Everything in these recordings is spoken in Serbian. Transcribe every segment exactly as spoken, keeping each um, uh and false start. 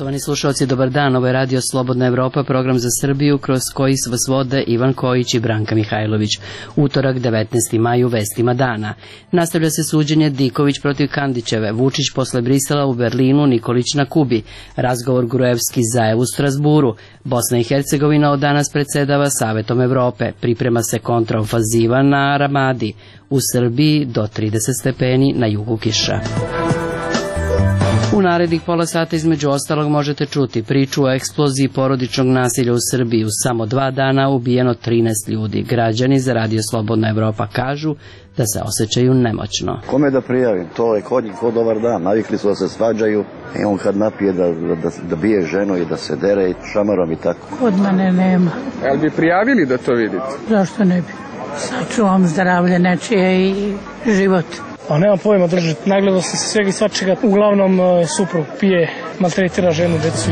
Poštovani slušalci, dobar dan. Ovo je Radio Slobodna Evropa, program za Srbiju kroz koji vas vode Ivan Kojić i Branka Mihajlović. Utorak, devetnaesti maj, u vestima dana. Nastavlja se suđenje Diković protiv Kandićeve, Vučić posle Brisela u Berlinu, Nikolić na Kubi, razgovor Gruevski Zaev u Strasburu, Bosna i Hercegovina od danas predsedava Savetom Evrope, priprema se kontraofanziva na Ramadi, u Srbiji do trideset stepeni, na jugu kiša. U narednih pola sata između ostalog možete čuti priču o eksploziji porodičnog nasilja u Srbiji. U samo dva dana ubijeno trinaest ljudi. Građani za Radio Slobodna Evropa kažu da se osjećaju nemoćno. Kome da prijavim? To je kod njih ko dobar dan. Navikli su da se svađaju i on kad napije da, da, da bije ženu i da se dere šamarom i tako. Kod mene nema. Jel bi prijavili da to vidite? Zašto ne bi? Sačuvam zdravlje nečije i život. A nema pojma držati, nagledao sam se svega i svačega, uglavnom suprug pije, maltretira ženu, decu.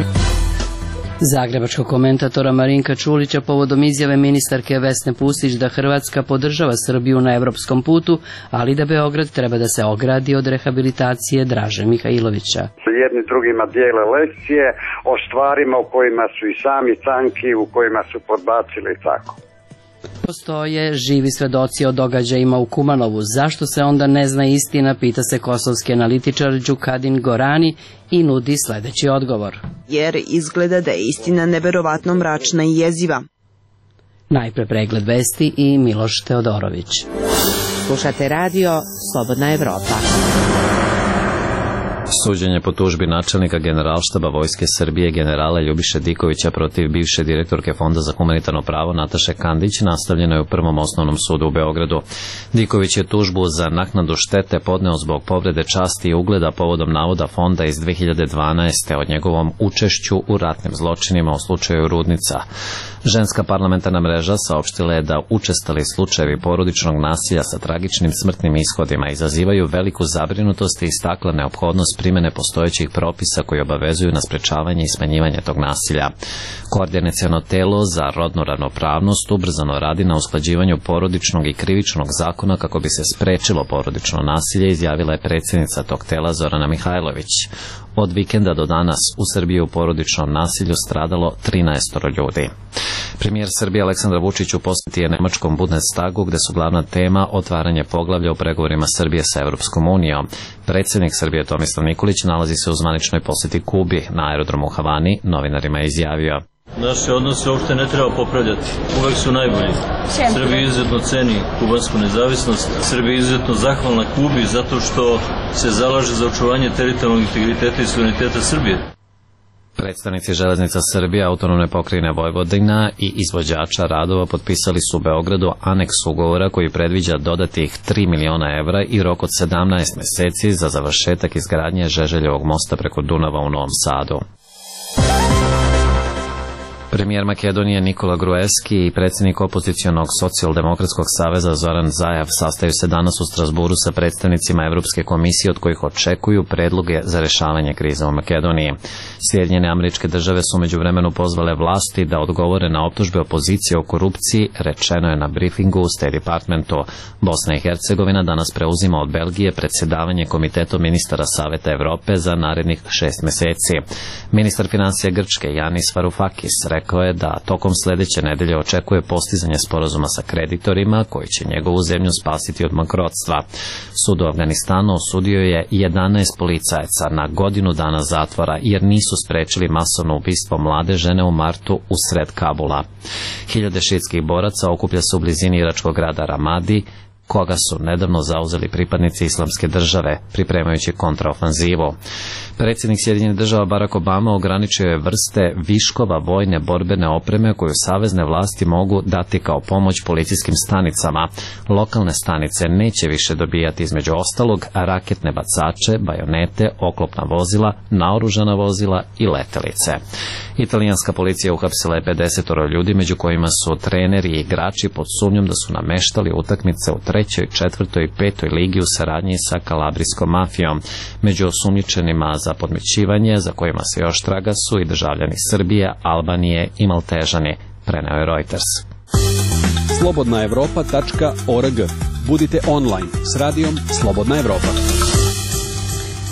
Zagrebačkog komentatora Marinka Čulića povodom izjave ministarke Vesne Pusić da Hrvatska podržava Srbiju na evropskom putu, ali da Beograd treba da se ogradi od rehabilitacije Draže Mihajlovića. Jedni drugima dijele lekcije o stvarima u kojima su i sami tanki, u kojima su podbacili tako. Postoje živi svedoci o događajima u Kumanovu. Zašto se onda ne zna istina, pita se kosovski analitičar Đukadin Gorani i nudi sledeći odgovor. Jer izgleda da je istina neverovatno mračna i jeziva. Najpre pregled vesti i Miloš Teodorović. Slušate radio Slobodna Evropa. Suđenje po tužbi načelnika Generalštaba Vojske Srbije generala Ljubiše Dikovića protiv bivše direktorke Fonda za humanitarno pravo Nataše Kandić nastavljeno je u Prvom osnovnom sudu u Beogradu. Diković je tužbu za naknadu štete podneo zbog povrede časti i ugleda povodom navoda Fonda iz dve hiljade dvanaeste. o njegovom učešću u ratnim zločinima u slučaju Rudnica. Ženska parlamentarna mreža saopštila je da učestali slučajevi porodičnog nasilja sa tragičnim smrtnim ishodima izazivaju veliku zabrinutost i istakla neophodnost primene postojećih propisa koji obavezuju na sprečavanje i smanjivanje tog nasilja. Koordinaciono telo za rodnu ravnopravnost ubrzano radi na usklađivanju porodičnog i krivičnog zakona kako bi se sprečilo porodično nasilje, izjavila je predsjednica tog tela Zorana Mihajlović. Od vikenda do danas u Srbiji u porodičnom nasilju stradalo trinaest ljudi. Premijer Srbije Aleksandar Vučić u posjeti je nemačkom Bundestagu, gde su glavna tema otvaranje poglavlja u pregovorima Srbije sa Evropskom unijom. Predsjednik Srbije Tomislav Nikolić nalazi se u zvaničnoj posjeti Kubi. Na aerodromu u Havani novinarima je izjavio: Naše odnose uopšte ne treba popravljati. Uvek su najbolji. Srbija izuzetno ceni kubansku nezavisnost. Srbija izuzetno zahvalna Kubi zato što se zalaže za očuvanje teritorijalnog integriteta i suvereniteta Srbije. Predstavnici Železnica Srbije, Autonomne pokrajine Vojvodina i izvođača radova potpisali su u Beogradu aneks ugovora koji predviđa dodatih tri miliona evra i rok od sedamnaest meseci za završetak izgradnje Žeželjevog mosta preko Dunava u Novom Sadu. Premijer Makedonije Nikola Gruevski i predsjednik opozicionog socijaldemokratskog saveza Zoran Zaev sastaju se danas u Strasburu sa predstavnicima Evropske komisije od kojih očekuju predloge za rešavanje krize u Makedoniji. Sjedinjene Američke Države su međuvremenu pozvale vlasti da odgovore na optužbe opozicije o korupciji, rečeno je na briefingu u State Departmentu. Bosna i Hercegovina danas preuzima od Belgije predsjedavanje Komitetom ministara Saveta Evrope za narednih šest meseci. Ministar finansija Grčke Janis Varoufakis rekao je da tokom sledeće nedelje očekuje postizanje sporazuma sa kreditorima koji će njegovu zemlju spasiti od bankrotstva. Sud u Afganistanu osudio je jedanaest policajaca na godinu dana zatvora jer nisu sprečili masovno ubistvo mlade žene u martu usred Kabula. Hiljade šiitskih boraca okuplja se u blizini iračkog grada Ramadi, koga su nedavno zauzeli pripadnici Islamske države, pripremajući kontraofanzivu. Predsjednik Sjedinjenih Država Barack Obama ograničio je vrste viškova vojne borbene opreme koju savezne vlasti mogu dati kao pomoć policijskim stanicama. Lokalne stanice neće više dobijati između ostalog raketne bacače, bajonete, oklopna vozila, naoružana vozila i letelice. Italijanska policija uhapsila je pedeset ljudi, među kojima su treneri i igrači pod sumnjom da su nameštali utakmice u trećoj, četvrtoj i petoj ligi u saradnji sa kalabrijskom mafijom. Među osumnjičenima za podmićivanje, za kojima se još traga, su i državljani Srbije, Albanije i Maltežani, preneo je Reuters. slobodna evropa tačka org. Budite online s radijom Slobodna Evropa.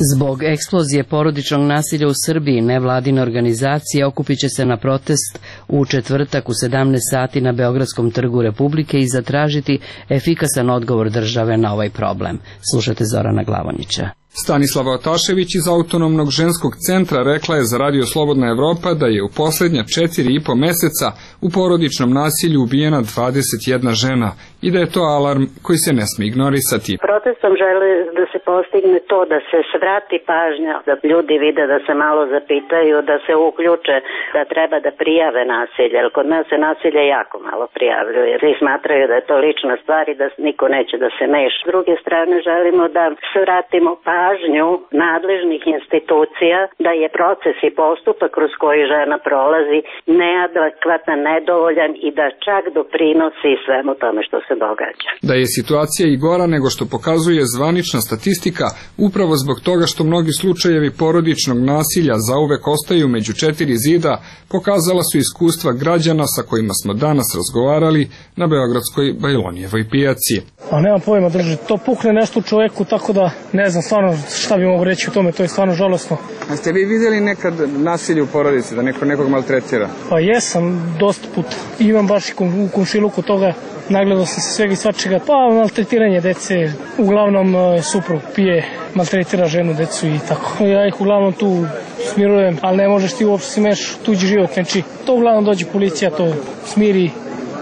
Zbog eksplozije porodičnog nasilja u Srbiji, nevladine organizacije okupit će se na protest u četvrtak u sedamnaest sati na Beogradskom trgu Republike i zatražiti efikasan odgovor države na ovaj problem. Slušate Zorana Glavonjića. Stanislava Otašević iz Autonomnog ženskog centra rekla je za Radio Slobodna Evropa da je u poslednja četiri i po meseca u porodičnom nasilju ubijena dvadeset jedna žena i da je to alarm koji se ne sme ignorisati. Protestom žele da se postigne to da se svrati pažnja, da ljudi vide, da se malo zapitaju, da se uključe, da treba da prijave nasilje, jer kod nas se nasilje jako malo prijavljuje. Svi smatraju da je to lična stvar i da niko neće da se meša. S druge strane želimo da svratimo pažnju nadležnih institucija da je proces i postupak kroz koji žena prolazi neadekvatan, nedovoljan i da čak doprinosi svemu tome što se događa. Da je situacija i gora nego što pokazuje zvanična statistika, upravo zbog toga što mnogi slučajevi porodičnog nasilja zauvek ostaju među četiri zida, pokazala su iskustva građana sa kojima smo danas razgovarali na beogradskoj Bajlonijevoj pijaci. A nemam pojma, drži, to pukne nešto u čoveku, tako da ne znam stvarno šta bi mogu reći o tome, to je stvarno žalosno. A ste vi vidjeli nekad nasilje u porodici, da neko nekog maltretira? Pa jesam, dosta put. Imam baš i u komšiluku toga, nagledao sam se svega i svačega. Pa maltretiranje dece, uglavnom suprug pije, maltretira ženu, decu i tako. Ja ih uglavnom tu smirujem, ali ne možeš ti uopšte si meš tuđi život, znači to uglavnom dođe policija, to smiri,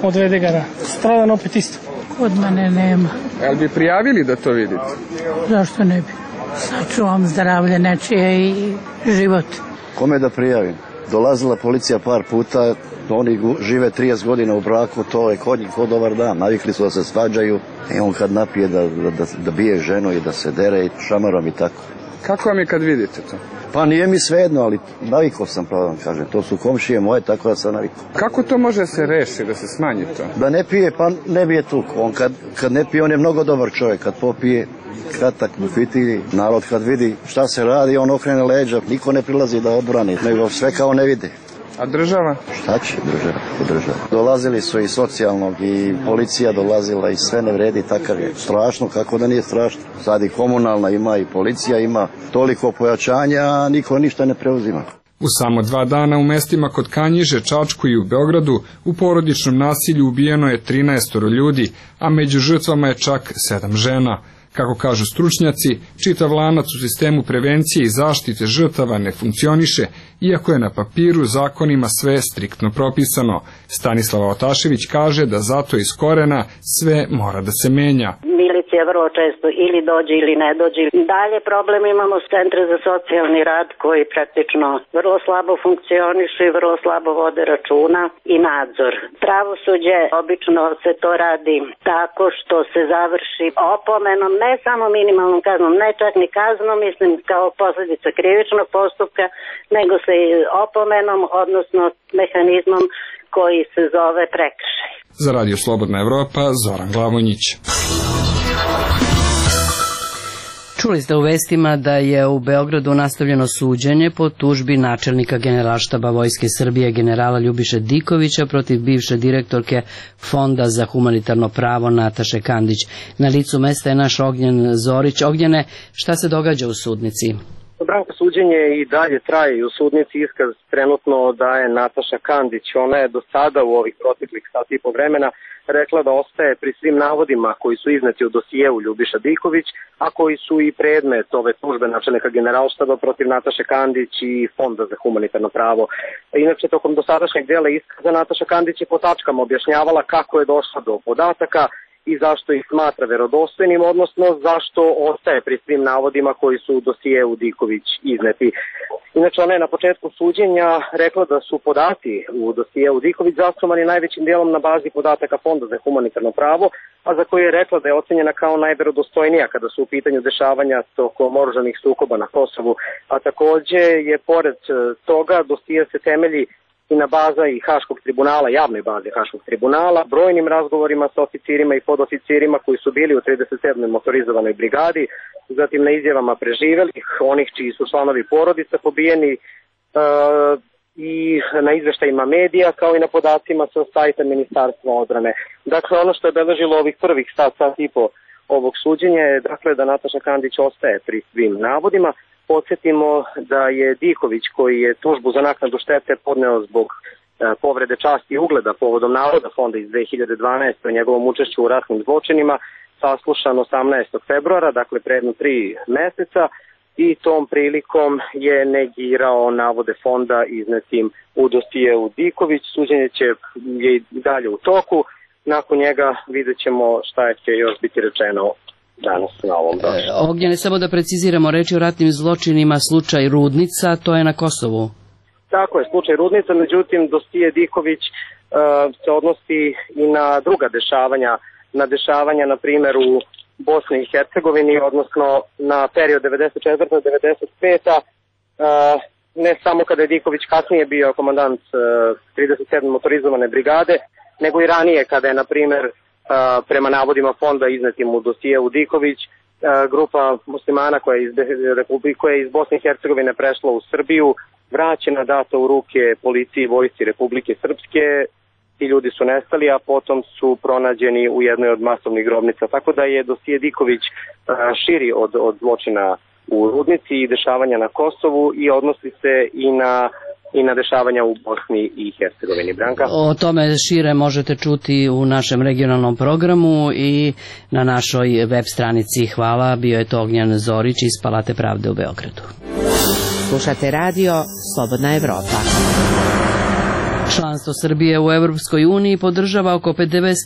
odvede ga na stradan opet isto. Od mene nema. Jel bi prijavili da to vidite? Zašto ne bi? Sačuvam zdravlje nečije i život. Kome da prijavim? Dolazila policija par puta, oni žive trideset godina u braku, to je kod njih kod dobar dan, navikli su da se svađaju i on kad napije da, da, da bije ženu i da se dere i šamarom i tako. Kako vam je kad vidite to? Pa nije mi svejedno, ali navikao sam, pravo vam kažem, to su komšije moje, tako da sam navikao. Kako to može se reši, da se smanji to? Da ne pije, pa ne bije tu. On kad, kad ne pije, on je mnogo dobar čovjek, kad popije, kratak bufiti, narod kad vidi šta se radi, on okrene leđa, niko ne prilazi da odbrani, nego sve kao ne vide. A država? Šta će država? država? Dolazili su i socijalnog i policija dolazila i sve ne vredi, takav je. Strašno, kako da nije strašno. Sad i komunalna ima i policija ima toliko pojačanja, a niko ništa ne preuzima. U samo dva dana u mestima kod Kanjiže, Čačku i u Beogradu u porodičnom nasilju ubijeno je trinaest ljudi, a među žrtvama je čak sedam žena. Kako kažu stručnjaci, čitav lanac u sistemu prevencije i zaštite žrtava ne funkcioniše, iako je na papiru zakonima sve striktno propisano. Stanislava Otašević kaže da zato iz korena sve mora da se menja. Milicija vrlo često ili dođe ili ne dođe. Dalje problem imamo s centre za socijalni rad koji praktično vrlo slabo funkcionišu i vrlo slabo vode računa i nadzor. Pravosuđe obično se to radi tako što se završi opomenom, ne samo minimalnom kaznom, ne čak ni kaznom, mislim kao posljedica krivičnog postupka, nego se i opomenom, odnosno mehanizmom koji se zove prekršaj. Za Radio Slobodna Evropa, Zoran Glavonjić. Čuli ste u vestima da je u Beogradu nastavljeno suđenje po tužbi načelnika Generalštaba Vojske Srbije generala Ljubiše Dikovića protiv bivše direktorke Fonda za humanitarno pravo Nataše Kandić. Na licu mesta je naš Ognjen Zorić. Ognjene, šta se događa u sudnici? Branko, suđenje i dalje traje i u sudnici iskaz trenutno daje Nataša Kandić. Ona je do sada u ovih proteklih sati i po vremena rekla da ostaje pri svim navodima koji su izneti u dosijevu Ljubiša Diković, a koji su i predmet ove tužbe načelnika Generalštaba protiv Nataše Kandić i Fonda za humanitarno pravo. Inače, tokom dosadašnjeg dela iskaza Nataša Kandić je po tačkama objašnjavala kako je došla do podataka i zašto ih smatra verodostojnim, odnosno zašto ostaje pri svim navodima koji su u dosijevu Diković izneti. Inače, ona je na početku suđenja rekla da su podaci u dosijevu Diković zasnovani najvećim dijelom na bazi podataka Fonda za humanitarno pravo, a za koje je rekla da je ocenjena kao najverodostojnija kada su u pitanju dešavanja tokom oružanih sukoba na Kosovu. A takođe je pored toga dosije se temelji i na baza i Haškog tribunala, javnoj bazi Haškog tribunala, brojnim razgovorima sa oficirima i podoficirima koji su bili u trideset sedmoj motorizovanoj brigadi, zatim na izjavama preživelih, onih čiji su članovi porodica pobijeni, e, i na izveštajima medija, kao i na podacima sa sajta Ministarstva odbrane. Dakle, ono što je beležilo ovih prvih sat, sat i po ovog suđenja je dakle da Nataša Kandić ostaje pri svim navodima, Podsjetimo da je Diković, koji je tužbu za naknadu štete podneo zbog povrede časti i ugleda povodom navoda fonda iz dve hiljade dvanaeste. o njegovom učešću u ratnim zločinima, saslušan osamnaestog februara, dakle pre jedno tri meseca, i tom prilikom je negirao navode fonda iznetim u dosijeu Diković. Suđenje će je i dalje u toku. Nakon njega vidjet ćemo šta će još biti rečeno danas na ovom došlu. Ognjene, samo da preciziramo, reči o ratnim zločinima, slučaj Rudnica, to je na Kosovu. Tako je, slučaj Rudnica, međutim dosije Diković uh, se odnosi i na druga dešavanja, na dešavanja na primjer u Bosni i Hercegovini, odnosno na period devedeset četvrta do devedeset peta. Uh, ne samo kada je Diković kasnije bio komandant uh, trideset sedme motorizovane brigade, nego i ranije kada je, na primjer, uh, prema navodima fonda iznetim u dosijeu Diković, uh, grupa muslimana koja je iz, koja je iz Bosne i Hercegovine prešla u Srbiju, vraćena, data u ruke policiji i vojsci Republike Srpske. Ti ljudi su nestali, a potom su pronađeni u jednoj od masovnih grobnica. Tako da je dosije Diković širi od, od zločina u Rudnici i dešavanja na Kosovu i odnosi se i na, i na dešavanja u Bosni i Hercegovini. Branka? O tome šire možete čuti u našem regionalnom programu i na našoj web stranici. Hvala, bio je to Ognjan Zorić iz Palate pravde u Beogradu. Slušate radio Slobodna Evropa. Članstvo Srbije u Evropskoj uniji podržava oko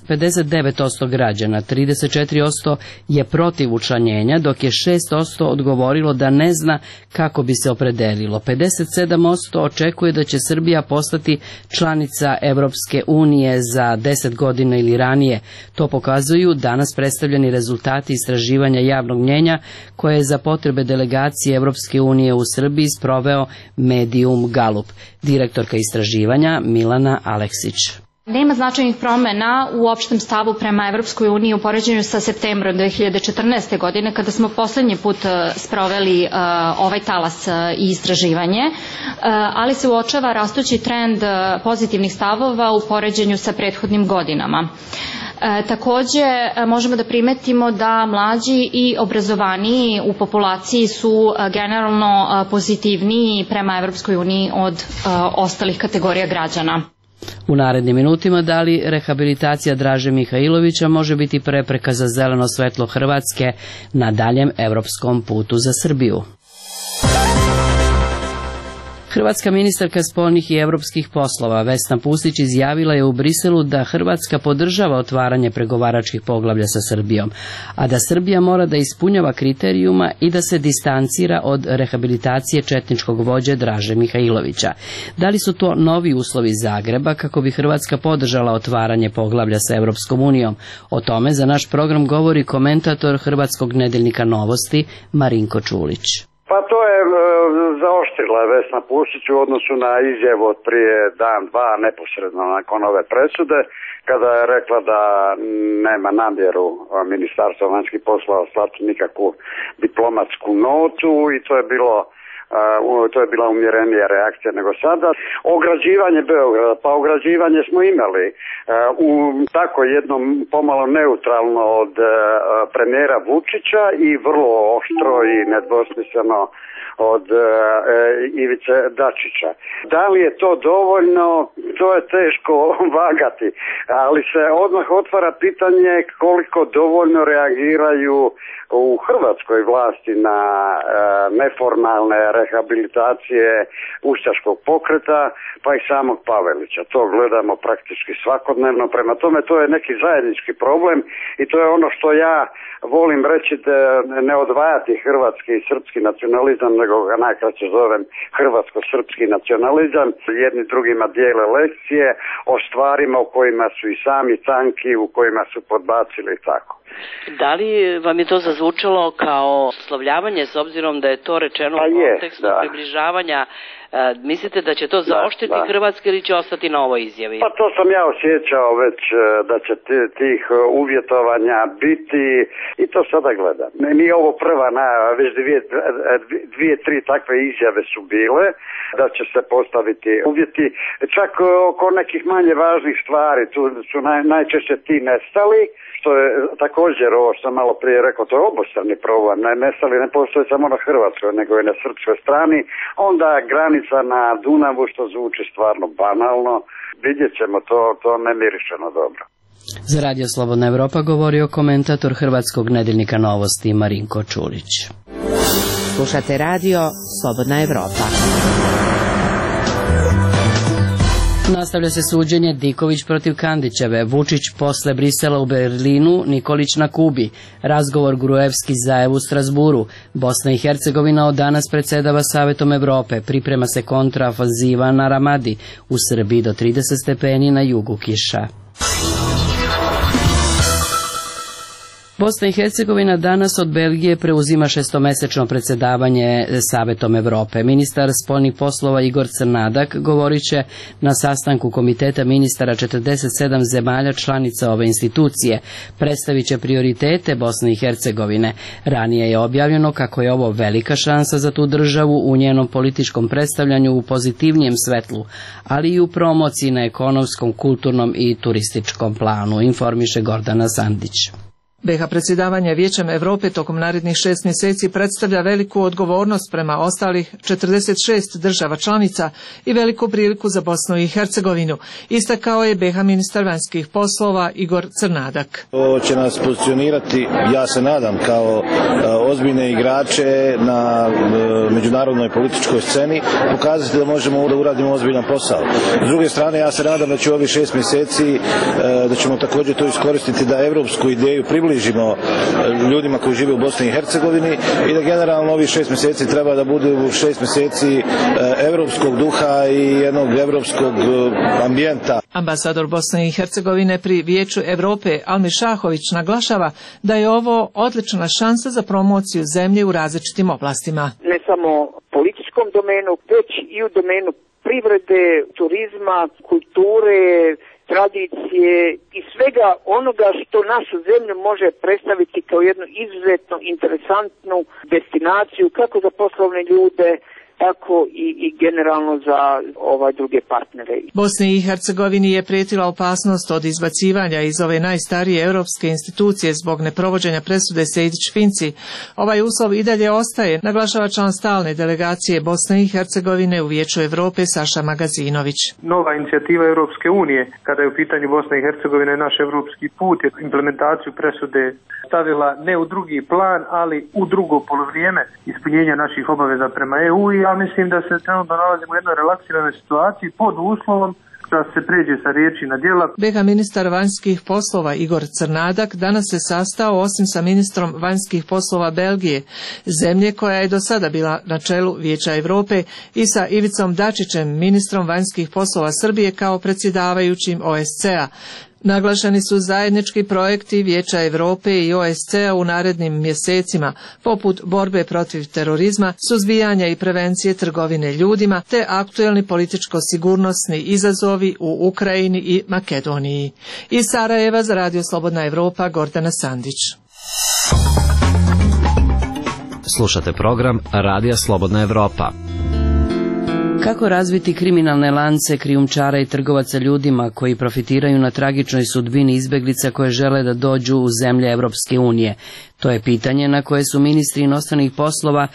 pedeset devet posto građana, trideset četiri posto je protiv učlanjenja, dok je šest posto odgovorilo da ne zna kako bi se opredelilo. pedeset sedam posto očekuje da će Srbija postati članica Evropske unije za deset godina ili ranije. To pokazuju danas predstavljeni rezultati istraživanja javnog mnjenja koje je za potrebe delegacije Evropske unije u Srbiji sproveo Medium Galup. Direktorka istraživanja Milana Aleksić. Nema značajnih promena u opštem stavu prema Evropskoj uniji u poređenju sa septembrom dve hiljade četrnaeste. godine, kada smo poslednji put sproveli uh, ovaj talas uh, i istraživanje, uh, ali se uočava rastući trend uh, pozitivnih stavova u poređenju sa prethodnim godinama. E, takođe, možemo da primetimo da mlađi i obrazovaniji u populaciji su generalno pozitivniji prema Evropskoj uniji od e, ostalih kategorija građana. U narednim minutima da li rehabilitacija Draže Mihajlovića može biti prepreka za zeleno svetlo Hrvatske na daljem evropskom putu za Srbiju. Hrvatska ministarka spoljnih i evropskih poslova Vesna Pusić izjavila je u Briselu da Hrvatska podržava otvaranje pregovaračkih poglavlja sa Srbijom, a da Srbija mora da ispunjava kriterijuma i da se distancira od rehabilitacije četničkog vođe Draže Mihajlovića. Da li su to novi uslovi Zagreba kako bi Hrvatska podržala otvaranje poglavlja sa Evropskom unijom? O tome za naš program govori komentator Hrvatskog nedeljnika Novosti Marinko Čulić. Pa to je e, zaoštrila Vesna Pusić u odnosu na izjavu od prije dan, dva, neposredno nakon ove presude, kada je rekla da nema namjeru Ministarstva vanjskih poslova slati nikakvu diplomatsku notu i to je bilo Uh, to je bila umjerenija reakcija nego sada. Ograđivanje Beograda, pa ograđivanje smo imali uh, u tako jednom pomalo neutralno od uh, premijera Vučića i vrlo oštro i nedvosmisleno od uh, Ivice Dačića. Da li je to dovoljno, to je teško vagati, ali se odmah otvara pitanje koliko dovoljno reagiraju u hrvatskoj vlasti na uh, neformalne rehabilitacije ustaškog pokreta, pa i samog Pavelića. To gledamo praktički svakodnevno, prema tome to je neki zajednički problem i to je ono što ja volim reći, da ne odvajati hrvatski i srpski nacionalizam, nego ga najkraće zovem hrvatsko-srpski nacionalizam. Jedni drugima dijele lekcije o stvarima u kojima su i sami tanki, u kojima su podbacili i tako. Da li vam je to zazvučalo kao oslovljavanje, s obzirom da je to rečeno pa u kontekstu je, približavanja Mislite da će to zaoštriti Hrvatske ili će ostati na ovoj izjavi? Pa to sam ja osjećao već da će tih uvjetovanja biti i to sada gledam. Nije ovo prva najava, već dvije, dvije, tri takve izjave su bile da će se postaviti uvjeti. Čak oko nekih manje važnih stvari, tu su naj, najčešće ti nestali, što je također ovo što sam malo prije rekao, to je obostrani problem. Ne, nestali ne postoje samo na Hrvatskoj, nego i na srpskoj strani. Onda granica na Dunavu, što zvuči stvarno banalno, vidjet ćemo, to, to ne mirišeno dobro. Za Radio Slobodna Evropa govorio komentator hrvatskog nedeljnika Novosti Marinko Čulić. Slušate radio Slobodna Evropa. Nastavlja se suđenje Diković protiv Kandićeve, Vučić posle Brisela u Berlinu, Nikolić na Kubi, razgovor Gruevski Zajev u Strasburu, Bosna i Hercegovina od danas predsedava Savetom Evrope, priprema se kontraofanziva na Ramadi, u Srbiji do trideset stepeni, na jugu kiša. Bosna i Hercegovina danas od Belgije preuzima šestomesečno predsedavanje Savetom Evrope. Ministar spoljnih poslova Igor Crnadak govorit će na sastanku Komiteta ministara četrdeset sedam zemalja članica ove institucije. Predstavit će prioritete Bosne i Hercegovine. Ranije je objavljeno kako je ovo velika šansa za tu državu u njenom političkom predstavljanju u pozitivnijem svetlu, ali i u promociji na ekonomskom, kulturnom i turističkom planu, informiše Gordana Sandić. be ha predsjedavanje Vijećem Europe tokom narednih šest mjeseci predstavlja veliku odgovornost prema ostalih četrdeset šest država članica i veliku priliku za Bosnu i Hercegovinu, istakao je be ha ministar vanjskih poslova Igor Crnadak. Ovo će nas pozicionirati, ja se nadam, kao ozbiljne igrače na međunarodnoj političkoj sceni, pokazati da možemo da uradimo ozbiljan posao. S druge strane, ja se nadam da će ovih šest mjeseci, da ćemo također to iskoristiti da evropsku ideju približimo ljudima koji žive u Bosni i Hercegovini i da generalno ovih šest mjeseci treba da budu šest mjeseci evropskog duha i jednog evropskog ambijenta. Ambasador Bosne i Hercegovine pri Vijeću Europe Almir Šahović naglašava da je ovo odlična šansa za promociju zemlje u različitim oblastima. Ne samo političkom domenu, već i u domenu privrede, turizma, kulture, tradicije i svega onoga što našu zemlju može predstaviti kao jednu izuzetno interesantnu destinaciju kako za poslovne ljude, tako i, i generalno za ovaj druge partnere. Bosni i Hercegovini je prijetila opasnost od izbacivanja iz ove najstarije europske institucije zbog neprovođenja presude Sejdić-Finci. Ovaj uslov i dalje ostaje, naglašava član stalne delegacije Bosne i Hercegovine u Vijeću Europe Saša Magazinović. Nova inicijativa Europske unije, kada je u pitanju Bosne i Hercegovine naš evropski put, je implementaciju presude stavila ne u drugi plan, ali u drugo polovrijeme ispunjenja naših obaveza prema E U i ja mislim da se trenutno nalazimo u jednoj relaksiranoj situaciji pod uslovom da se pređe sa riječi na djela. be ha ministar vanjskih poslova Igor Crnadak danas se sastao osim sa ministrom vanjskih poslova Belgije, zemlje koja je do sada bila na čelu Vijeća Europe, i sa Ivicom Dačićem, ministrom vanjskih poslova Srbije kao predsjedavajućim O S C A. Naglašeni su zajednički projekti Vijeća Europe i O S C A u narednim mjesecima, poput borbe protiv terorizma, suzbijanja i prevencije trgovine ljudima, te aktuelni političko-sigurnosni izazovi u Ukrajini i Makedoniji. Iz Sarajeva za Radio Slobodna Evropa, Gordana Sandić. Slušate program Radija Slobodna Evropa. Kako razviti kriminalne lance krijumčara i trgovaca ljudima koji profitiraju na tragičnoj sudbini izbeglica koje žele da dođu u zemlje Evropske unije? To je pitanje na koje su ministri inostranih poslova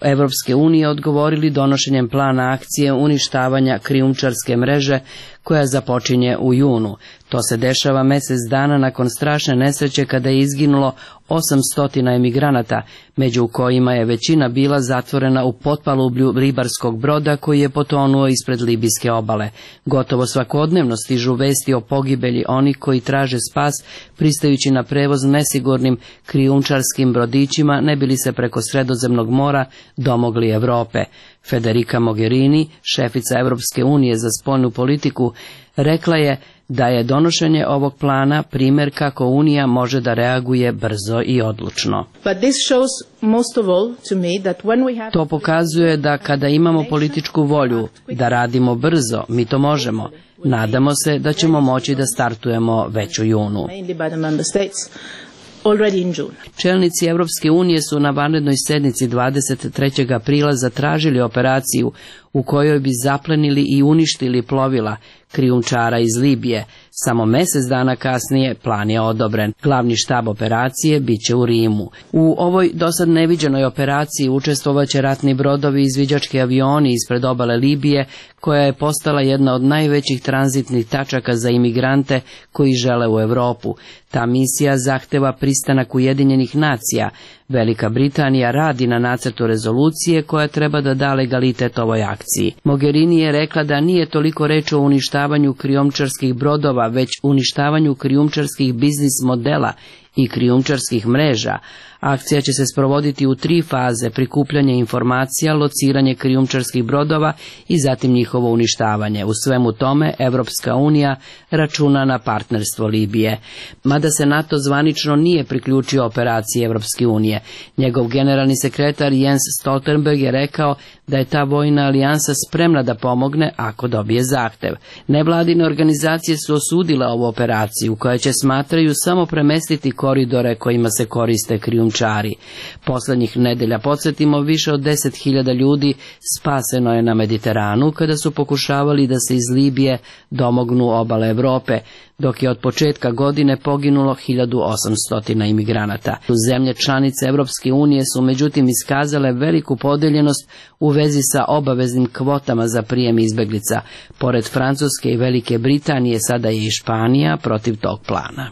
Evropske unije odgovorili donošenjem plana akcije uništavanja krijumčarske mreže koja započinje u junu. To se dešava mjesec dana nakon strašne nesreće kada je izginulo osamsto emigranata, među kojima je većina bila zatvorena u potpalublju ribarskog broda koji je potonuo ispred libijske obale. Gotovo svakodnevno stižu vesti o pogibelji onih koji traže spas pristajući na prevoz nesigurnim krijumčarskim brodićima ne bili se preko Sredozemnog mora domogli Evrope. Federica Mogherini, šefica Evropske unije za spoljnu politiku, rekla je da je donošenje ovog plana primjer kako Unija može da reaguje brzo i odlučno. To pokazuje da kada imamo političku volju da radimo brzo, mi to možemo. Nadamo se da ćemo moći da startujemo već u junu. Čelnici Evropske unije su na vanrednoj sednici dvadeset trećeg aprila zatražili operaciju u kojoj bi zaplenili i uništili plovila krijumčara iz Libije. Samo mjesec dana kasnije plan je odobren. Glavni štab operacije biće u Rimu. U ovoj dosad neviđenoj operaciji učestvovaće ratni brodovi i izviđački avioni ispred obale Libije, koja je postala jedna od najvećih tranzitnih tačaka za imigrante koji žele u Europu. Ta misija zahteva pristanak Ujedinjenih nacija. Velika Britanija radi na nacrtu rezolucije koja treba da da legalitet ovoj akciji. Mogherini je rekla da nije toliko reč o uništavanju krijumčarskih brodova, već uništavanju krijumčarskih biznis modela i krijumčarskih mreža. Akcija će se sprovoditi u tri faze: prikupljanje informacija, lociranje krijumčarskih brodova i zatim njihovo uništavanje. U svemu tome Evropska unija računa na partnerstvo Libije. Mada se NATO zvanično nije priključio operaciji Evropske unije, njegov generalni sekretar Jens Stoltenberg je rekao da je ta vojna alijansa spremna da pomogne ako dobije zahtev. Nevladine organizacije su osudile ovu operaciju, koja će, smatraju, samo premestiti koridore kojima se koriste krijumčari. Poslednjih nedelja, podsjetimo, više od deset hiljada ljudi spaseno je na Mediteranu kada su pokušavali da se iz Libije domognu obale Evrope, dok je od početka godine poginulo hiljadu osamsto imigranata. Zemlje članice Evropske unije su međutim iskazale veliku podeljenost u vezi sa obaveznim kvotama za prijem izbeglica. Pored Francuske i Velike Britanije, sada je i Španija protiv tog plana.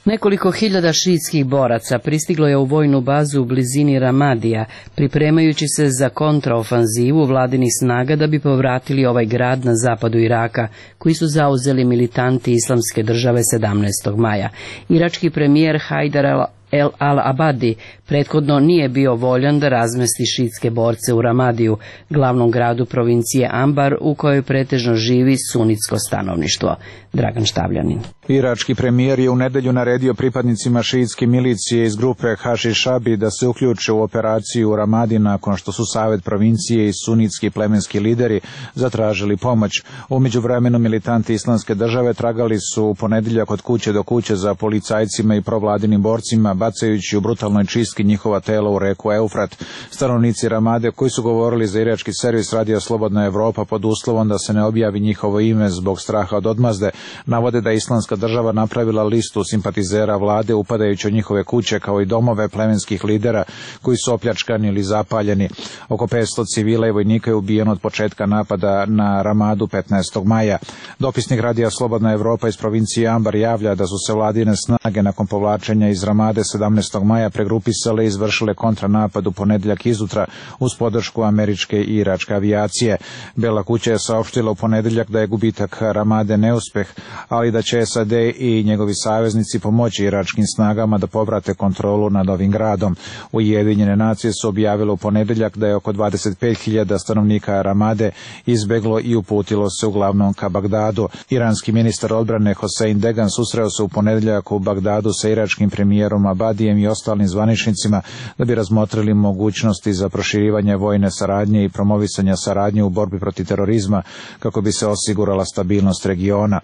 Nekoliko hiljada šiitskih boraca pristiglo je u vojnu bazu u blizini Ramadija, pripremajući se za kontraofanzivu vladinih snaga da bi povratili ovaj grad na zapadu Iraka, koji su zauzeli militanti Islamske države sedamnaestog maja. Irački premijer Haidar El Al-Abadi prethodno nije bio voljan da razmesti šiitske borce u Ramadiju, glavnom gradu provincije Ambar, u kojoj pretežno živi sunitsko stanovništvo. Dragan Štavljanin. Irački premijer je u nedelju naredio pripadnicima šiitske milicije iz grupe Hašišabi da se uključe u operaciju u Ramadi nakon što su Savet provincije i sunitski plemenski lideri zatražili pomoć. U međuvremenu militanti Islamske države tragali su u ponedeljak od kuće do kuće za policajcima i provladinim borcima, bacajući u brutalnoj čistki njihova tela u reku Eufrat. Stanovnici Ramade, koji su govorili za irački servis Radio Slobodna Evropa pod uslovom da se ne objavi njihovo ime zbog straha od odmazde, navode da je Islamska država napravila listu simpatizera vlade upadajući u njihove kuće kao i domove plemenskih lidera koji su opljačkani ili zapaljeni. Oko petsto civila i vojnika je ubijeno od početka napada na Ramadu petnaestog maja. Dopisnik Radija Slobodna Evropa iz provincije Ambar javlja da su se vladine snage nakon povlačenja iz Ramade sedamnaestog maja pregrupisale i izvršile kontranapad u ponedeljak izutra uz podršku američke i iračke avijacije. Bela kuća je saopštila u ponedeljak da je gubitak Ramade neuspeh, ali da će S A D i njegovi saveznici pomoći iračkim snagama da povrate kontrolu nad ovim gradom. Ujedinjene nacije su objavile u ponedeljak da je oko dvadeset pet hiljada stanovnika Ramade izbeglo i uputilo se uglavnom ka Bagdadu. Iranski ministar odbrane Hosein Degan susreo se u ponedeljak u Bagdadu sa iračkim premijerom Abadijem i ostalim zvaničnicima da bi razmotrili mogućnosti za proširivanje vojne saradnje i promovisanja saradnje u borbi protiv terorizma kako bi se osigurala stabilnost regiona.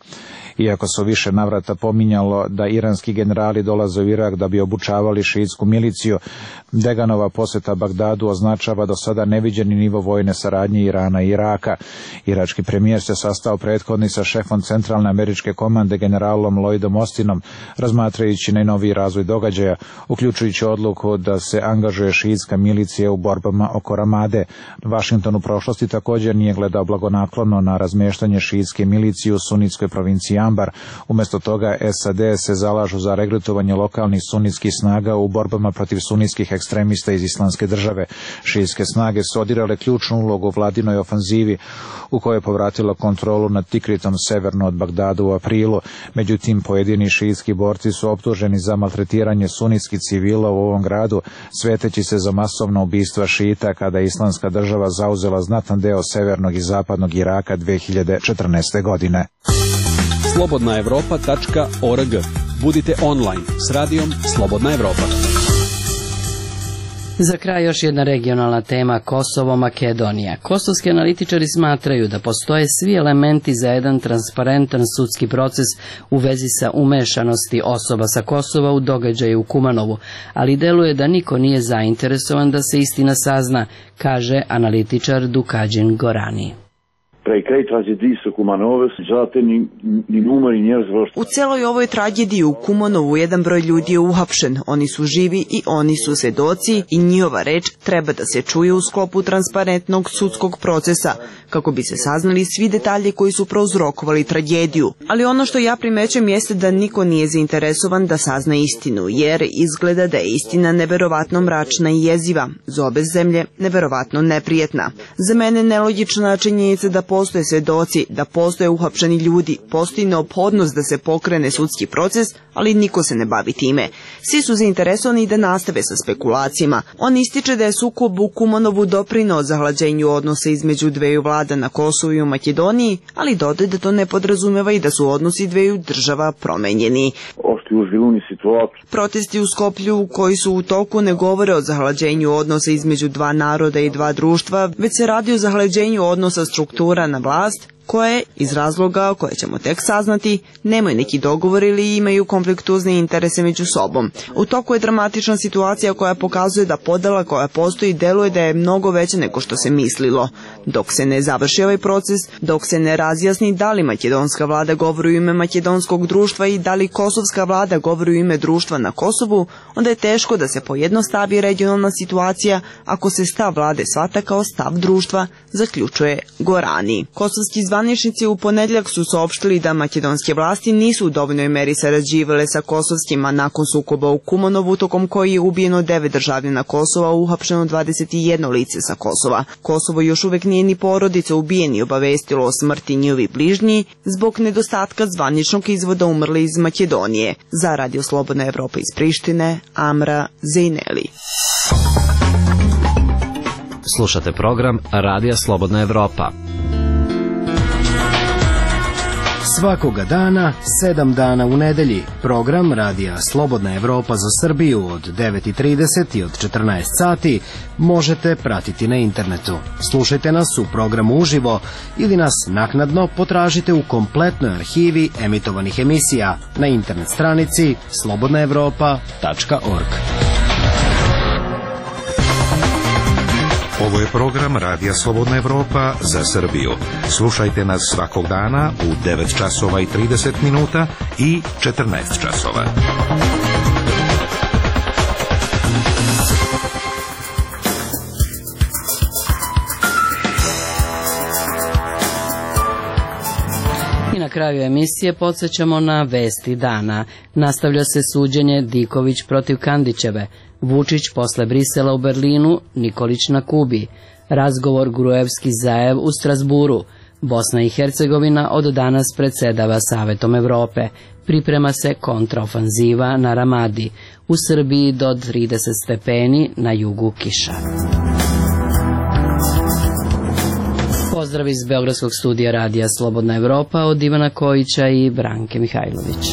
Iako se više navrata pominjalo da iranski generali dolaze u Irak da bi obučavali šiitsku miliciju, Deganova posjeta Bagdadu označava do sada neviđeni nivo vojne saradnje Irana i Iraka. Irački premijer se sastao prethodni sa šefom centralne američke komande generalom Lloydom Austinom, razmatrajući najnoviji razvoj događaja, uključujući odluku da se angažuje šiitska milicija u borbama oko Ramade. Washington u prošlosti također nije gledao blagonaklono na razmještanje šiitske milicije u sunitskoj provinciji Ambar. Umjesto toga S A D se zalažu za regrutovanje lokalnih sunitskih snaga u borbama protiv sunitskih ekstremista iz Islamske države. Šiitske snage su odigrale ključnu ulogu u vladinoj ofanzivi u kojoj je povratila kontrolu nad Tikritom severno od Bagdada u aprilu. Međutim, pojedini šiitski borci su optuženi za maltretiranje sunitskih civila u ovom gradu, sveteći se za masovna ubistva šita kada je Islamska država zauzela znatan deo severnog i zapadnog Iraka dve hiljade četrnaeste. godine. slobodna evropa tačka org. Budite online s radijom Slobodna Evropa. Za kraj još jedna regionalna tema, Kosovo-Makedonija. Kosovski analitičari smatraju da postoje svi elementi za jedan transparentan sudski proces u vezi sa umešanosti osoba sa Kosova u događaje u Kumanovu, ali deluje da niko nije zainteresovan da se istina sazna, kaže analitičar Dukadžin Gorani. U celoj ovoj tragediji u Kumanovu jedan broj ljudi je uhapšen, oni su živi i oni su svedoci i njihova reč treba da se čuje u sklopu transparentnog sudskog procesa, kako bi se saznali svi detalji koji su prouzrokovali tragediju. Ali ono što ja primećujem jeste da niko nije zainteresovan da sazna istinu, jer izgleda da je istina neverovatno mračna i jeziva, za obe zemlje neverovatno neprijetna. Za mene nelogična činjenica da postoje svedoci, da postoje uhapšeni ljudi, postoji neophodnost da se pokrene sudski proces, ali niko se ne bavi time. Svi su zainteresovani da nastave sa spekulacijama. On ističe da je sukob u Kumanovu doprineo zahlađenju odnosa između dveju vlada na Kosovu i u Makedoniji, ali dodaje da to ne podrazumeva i da su odnosi dveju država promenjeni. Protesti u Skoplju koji su u toku ne govore o zahlađenju odnosa između dva naroda i dva društva, već se radi o zahlađenju odnosa struktura na vlast, koje, iz razloga koje ćemo tek saznati, nemaju neki dogovor ili imaju konfliktuzne interese među sobom. U toku je dramatična situacija koja pokazuje da podela koja postoji deluje da je mnogo veća nego što se mislilo. Dok se ne završi ovaj proces, dok se ne razjasni da li makedonska vlada govori u ime makedonskog društva i da li kosovska vlada govori u ime društva na Kosovu, onda je teško da se pojednostavi regionalna situacija ako se stav vlade shvata kao stav društva, zaključuje Gorani. Kosovski zvaničnici u ponedjeljak su saopštili da makedonske vlasti nisu u dovoljnoj meri sarađivale sa kosovskima nakon sukoba u Kumanovu, tokom koji je ubijeno devet državljana Kosova, uhapšeno dvadeset jedno lice sa Kosova. Kosovo još uvek nije ni porodica ubijeni obavestilo o smrti njihovi bližnji zbog nedostatka zvaničnog izvoda umrli iz Makedonije. Za Radio Slobodna Evropa iz Prištine, Amra Zejneli. Slušate program Radija Slobodna Evropa. Svakoga dana, sedam dana u nedelji, program Radija Slobodna Evropa za Srbiju od devet i trideset i od četrnaest sati možete pratiti na internetu. Slušajte nas u programu uživo ili nas naknadno potražite u kompletnoj arhivi emitovanih emisija na internet stranici slobodna evropa tačka org. Ovo je program Radija Slobodna Evropa za Srbiju. Slušajte nas svakog dana u devet časova i trideset minuta i četrnaest časova. I na kraju emisije podsjećamo na vesti dana. Nastavlja se suđenje Diković protiv Kandićeve. Vučić posle Brisela u Berlinu, Nikolić na Kubi. Razgovor Gruevski-Zaev u Strasburu. Bosna i Hercegovina od danas predsedava Savetom Evrope. Priprema se kontraofanziva na Ramadi. U Srbiji do trideset stepeni, na jugu kiša. Pozdrav iz Beogradskog studija Radija Slobodna Evropa od Ivana Kojića i Branke Mihajlović.